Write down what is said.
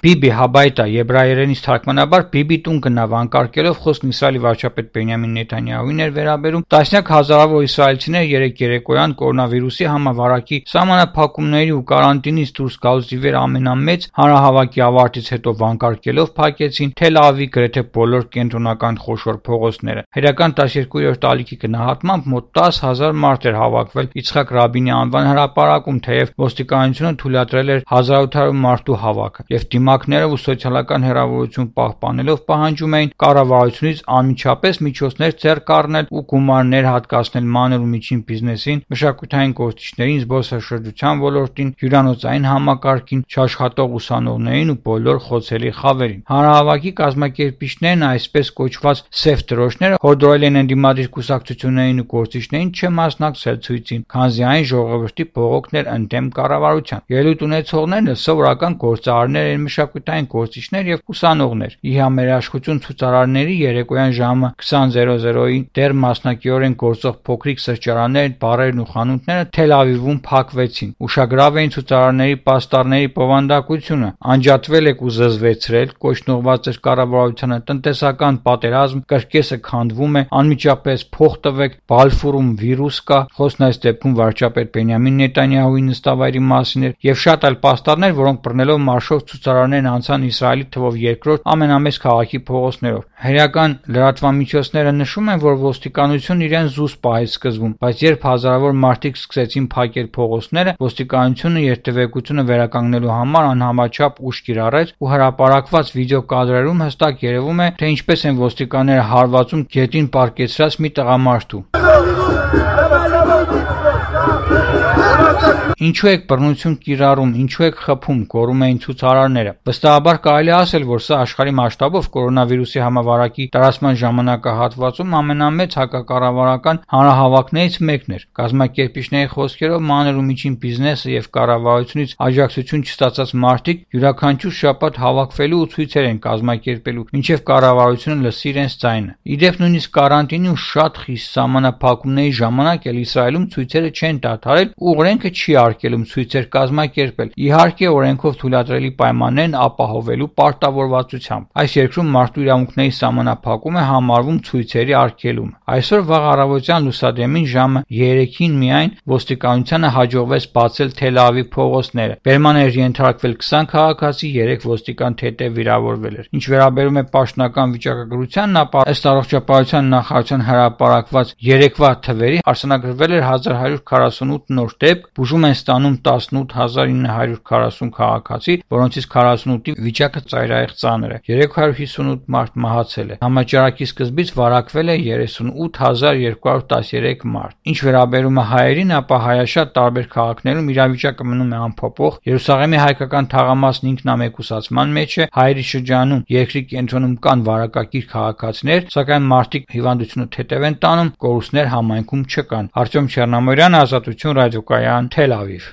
Բիբի Հաբայտա եբրայերենից թարգմանաբար Բիբի տուն գնա վանկարկելով խոսքն Իսրայելի վարչապետ Բենյամին Նեթանյահուին էր վերաբերում, տասնյակ հազարավոր իսրայելցիներ երեկ երեկոյան կորոնավիրուսի համավարակի սահմանափակումների ու կարանտինից դուրս գալուց ի վեր ամենամեծ հանրահավաքի ավարտից հետո վանկարկելով փակեցին Թել Ավիվի գրեթե բոլոր կենտրոնական խոշոր փողոցները։ Հերական 12-րդ ալիքի գնահատմամբ մոտ 10,000 մարդ էր հավաքվել Իցխակ Ռաբինի անվան հրապարակում, թեև ոստիկանությունը թույլատրել էր 1800 մարդու հավաքը, եւ դիմակները ու սոցիալական հեռավորություն պահպանելով պահանջում էին կառավարությունից անմիջապես միջոցներ ձեռք առնել ու գումարներ հատկացնել մանր ու միջին բիզնեսին, մշակութային գործիչներին, զբոսաշրջության ոլորտին, հյուրանոցային համակարգին, չաշխատող ուսանողներին ու բոլոր խոցելի խավերին։ Հանրահավաքի կազմակերպիչներն այսպես կոչված սև տրոշները հորդորել են ընդդիմադիր կուսակցություններին ու գործիչներին չմասնակցել ցույցին, քանզի այն ժողովրդի բողոքն էր ընդդեմ կառավարության։ Ելույթ ունեցողներն սովորական գործարարներ են, մշակութային գործիչներ եւ ուսանողներ։ Ի համերաշխություն ցուցարարների երեկոյան ժամը 20:00-ին դեռ մասնակիորեն գործող փոքրիկ սրճարաններ, բարերն ու խանութները Թել Ավիվում փակվեցին։ Ուշագրավ էին ցուցարարների պաստառների բովանդակությունը, անջատվել եք ու զզվեցրել, կոչնողված էր կառավարությանը տնտեսական պատերազմ, կրկեսը քանդվում է, անմիջապես փող տվեք, Բալֆուրում վիրուս կա, խոսքն այս դեպքում վարչապետ Բենյամին Նեթանյահուի նստավայրի մասին էր, եւ շատ այլ պաստառներ, որոնք բռնելով մարշով ցուցարարներն անցան Իսրայելի թվով երկրորդ ամենամեծ քաղաքի փողոցներով։ Հերական լրատվամիջոցները նշում են, որ ոստիկանությունն իրեն զուսպ պահեց սկզբում, բայց երբ հազարավոր մարդիկ սկսեցին փակել փողոցները, ոստիկանությունը երթևեկությունը վերականգնելու համար անհամաչափ ուժ կիրառեց ու հրապարակված վիդեոկադրերում հստակ երևում է, թե ինչպես են ոստիկանները հարվածում գետին պարկեցրած մի տղամարդու։ Ինչու եք բռնություն կիրառում, ինչու եք խփում, գոռում էին ցուցարարները։ Վստահաբար կարելի ասել, որ սա աշխարհի մասշտաբով կորոնավիրուսի համավարակի տարածման ժամանակահատվածում ամենամեծ հակակառավարական հանրահավաքներից մեկն էր։ Կազմակերպիչների խոսքերով մանր ու միջին բիզնեսը եւ կառավարությունից աջակցություն չստացած մարդիկ յուրաքանչյուր շաբաթ հավաքվելու ու ցույցեր են կազմակերպելու, մինչեւ կառավարությունը լսի իրենց ձայնը։ Իդեպ նույնիսկ կարանտինի ու շատ խիստ սահմանափակումների ժամանակ էլ Իսրայելում ցույցերը չեն դադարել ու օրենքը չի արգելում ցույցեր կազմակերպել, իհարկե օրենքով թույլատրելի պայմաններն ապահովելու պարտավորվածությամբ։ Այս երկրում մարդու իրավունքների սահմանափակումը համարվում ցույցերի արգելումը։ Այսօր վաղ առավոտյան լուսադեմին ժամը 3-ին միայն ոստիկանությանը հաջողվեց բացել Թել Ավիվի փողոցները։ Բերման էր ենթարկվել 20 քաղաքացի, 3 ոստիկան թեթև վիրավորվել էր։ Ինչ վերաբերում է պաշտոնական վիճակագրությանն, ապա ըստ առողջապահության նախարարության հրապարակված երեկվա թվերի արձանագրվել էր 1148 նոր դեպք, բուժում են ստանում 18940 քաղաքացի, որոնցից 48-ի վիճակը ծայրահեղ ծանր է։ 358 մարդ մահացել է։ Համաճարակի սկզբից վարակվել է 38213 մարդ։ Ինչ վերաբերում է հայերին, ապա հայաշատ տարբեր քաղաքներում իրավիճակը մնում է անփոփոխ։ Երուսաղեմի հայկական թաղամասն ինքնամեկուսացման մեջ է, հայերի շրջանում երկրի կենտրոնում կան վարակակիր քաղաքացիներ, սակայն մարդիկ հիվանդությունը թեթև են տանում, կորուստներ համայնքում չկան։ Արտյոմ Չեռնամորյան, Ազատություն ռադիոկայան, Թել Ավիվ։